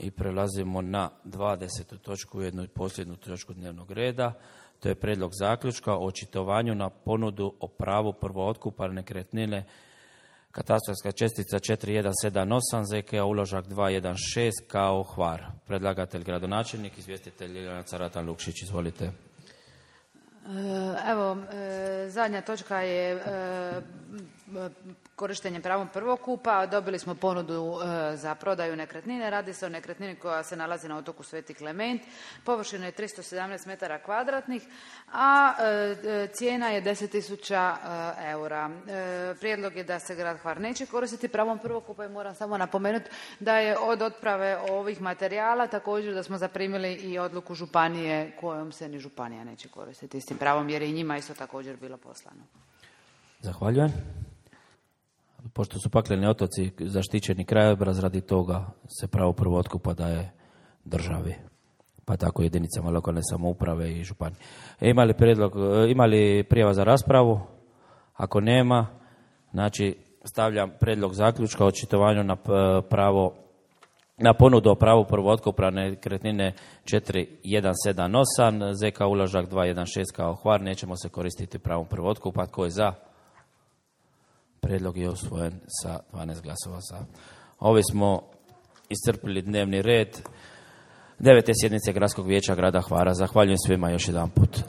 I prelazimo na 20. točku, jednu posljednju točku dnevnog reda. To je prijedlog zaključka o očitovanju na ponudu o pravu prvootkupa nekretnine katastarska čestica 4178 ZK uložak 216 kao Hvar. Predlagatelj gradonačelnik, izvjestitelj Ljiljana Caratan Lukšić. Izvolite. Evo, zadnja točka je korištenje pravom prvokupa. Dobili smo ponudu za prodaju nekretnine. Radi se o nekretnini koja se nalazi na otoku Sveti Klement. Površina je 317 metara kvadratnih, a cijena je 10.000 eura. Prijedlog je da se grad Hvar neće koristiti pravom prvokupa i moram samo napomenuti da je od otprave ovih materijala također da smo zaprimili i odluku županije kojom se ni županija neće koristiti istim pravom jer je i njima isto također bilo poslano. Zahvaljujem. Pošto su Pakleni otoci zaštićeni krajobraz, radi toga se pravo prvootkupa daje državi, pa tako jedinicama lokalne samouprave i županije. Ima li prijava za raspravu? Ako nema, znači stavljam prijedlog zaključka o očitovanju na ponudu o pravu prvootkupa nekretnine 4178 ZK uložak 216 kao Hvar. Nećemo se koristiti pravom prvootkupa. Tko je za? Prijedlog je usvojen sa 12 glasova za. Ovi smo iscrpili dnevni red 9. sjednice Gradskog vijeća grada Hvara. Zahvaljujem svima još jedan put.